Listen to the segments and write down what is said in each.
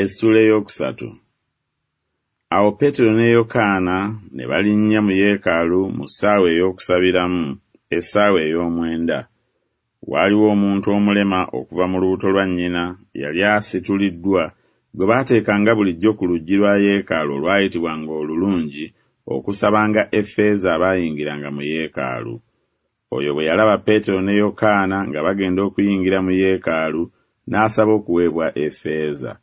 Essuula ey'okusatu. Awo Peetero ne Yokaana ne balinnya mu yeekaalu mu ssaawa ey'okusabiramu, essaawa ey'omwenda. Waaliwo omuntu omulema okuva mu lubuto lwa nnyina yali asituliddwa, gwe baateekanga bulijjo ku luggi lwa yeekaalu olwayitibwanga Olulungi okusabanga effeeza abaayingiranga mu yeekaalu. Oyo bwe yalaba Peetero ne Yokaana nga bagenda okuyingira mu yeekaalu, n'asaba okuweebwa effeeza.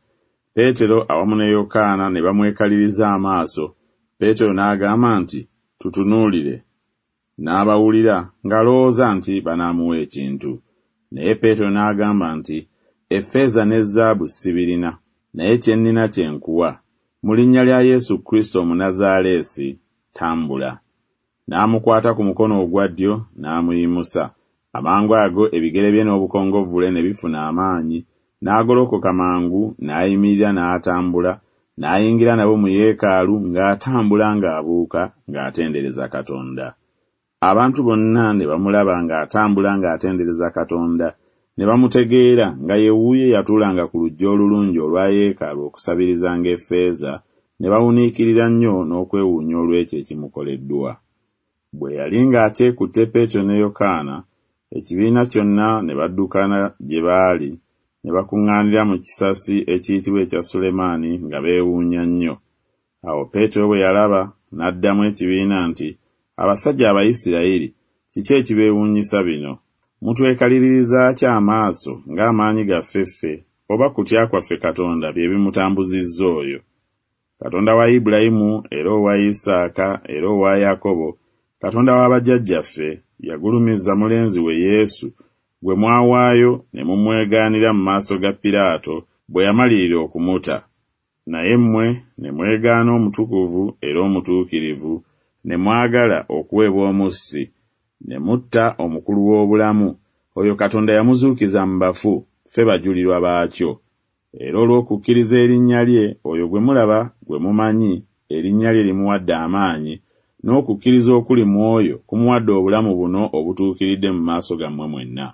Peetero awamu ne Yokaana ne bamwekaliriza amaaso, Peetero n'agamba nti, Tutunuulire. N'abawulira, ng'alowooza nti banaamuwa ekintu. Naye Peetero n'agamba nti, Effeeza ne zaabu sibirina, naye kye nnina kye nkuwa, Mu linnya lya Yesu Kristo Omunazaaleesi, tambula. N'amukwata ku mukono ogwa ddyo, n'amuyimusa. Amangu ago ebigere bye n'obukongovvule ne bifuna amaanyi, n'agolokoka mangu, n'ayimirira n'atambula, n'ayingira nabo mu yeekaalu ng'atambula ng'abuuka, ng'atendereza Katonda. Abantu bonna ne bamulaba ng'atambula ng'atendereza Katonda, ne bamutegeera nga ye wuuyo eyatuulanga ku luggi Olulungi olwa yeekaalu okusabirizanga effeeza, ne bawuniikirira nnyo n'okwewuunya olw'ekyo ekimukoleddwa. Bwe yali ng'akyekutte Peetero ne Yokaana, ekibiina kyonna ne baddukana gye baali, ne bakuŋŋaanira mu kisasi ekiyitibwa ekya Sulemaani nga beewuunya nnyo. Awo Peetero bwe yalaba, n'addamu ekibiina nti, Abasajja Abayisirayiri, kiki ekibeewuunyisa bino? Mutwekaliririza ki amaaso ng'amaanyi gaffe ffe oba kutya kwaffe Katonda bye bimutambuzizza oyo? Katonda wa Ibulayimu era owa Isaaka era owa Yakobo, Katonda wa bajjajjaffe, yagulumiza mulenzi we Yesu, gwe mwawaayo ne mumwegaanira mu maaso ga Piraato bwe yamalirira okumuta. Naye mmwe ne mwegaana Omutukuvu era Omutuukirivu, ne mwagala okuweebwa omussi, ne mutta Omukulu w'obulamu, oyo Katonda yamuzuukiza mu bafu, ffe bajulirwa baakyo. Era olw'okukkiriza erinnya lye, oyo gwe mulaba, gwe mumanyi, erinnya lye limuwadde amaanyi, n'okukkiriza okuli mu oyo kumuwadde obulamu buno obutuukiridde mu maaso gammwe mwenna.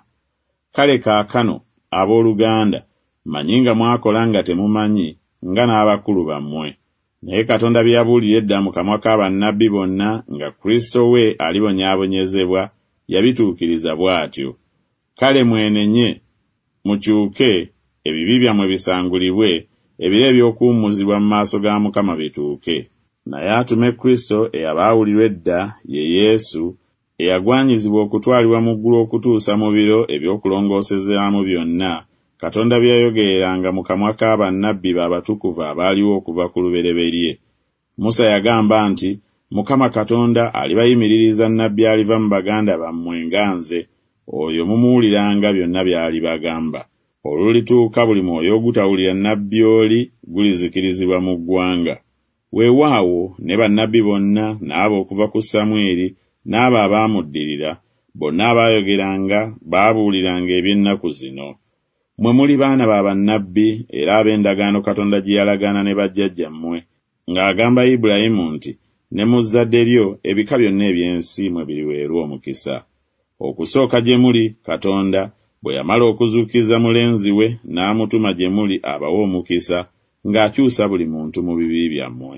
Kale kaakano, ab'oluganda, mmanyi nga mwakola nga temumanyi, nga n'abakulu bammwe. Naye Katonda bye yabuulira edda mu kamwa ka bannabbi bonna nga Kristo we alibonyaabonyezebwa, yabituukiriza bw'atyo. Kale mwenenye, mukyuke, ebibi byammwe bisangulibwe, ebiro eby'okuwummuzibwa mu maaso ga Mukama bituuke. Naye atume Kristo eyabaawulirwa edda, ye Yesu, eyagwanyizibwa okutwalibwa mu ggulu okutuusa mu biro eby'okulongoosezaamu byonna, Katonda bye yayogereranga mu kamwa ka bannabbi be abatukuvu abaaliwo okuva ku lubereberye. Musa yagamba nti, Mukama Katonda alibayimiririza nnabbi aliva mu baganda bammwe nga nze, oyo mumuwuliranga byonna by'alibagamba. Olulituuka buli mwoyo ogutawulira nnabbi oli gulizikirizibwa mu ggwanga. Weewaawo, ne bannabbi bonna, n'abo okuva ku Samwiri, n'abo abaamuddirira, bonna abaayogeranga, baabuuliranga eby'ennaku zino. Mmwe muli baana ba bannabbi era ab'endagaano Katonda gye yalagaana ne bajjajjammwe, ng'agamba Ibulayimu nti, Ne mu zzadde lyo ebika byonna eby'ensi mwe biriweerwa omukisa. Okusooka gye muli, Katonda, bwe yamala okuzuukiza mulenzi we, n'amutuma gye muli abawe omukisa, ng'akyusa buli muntu mu bibi byammwe.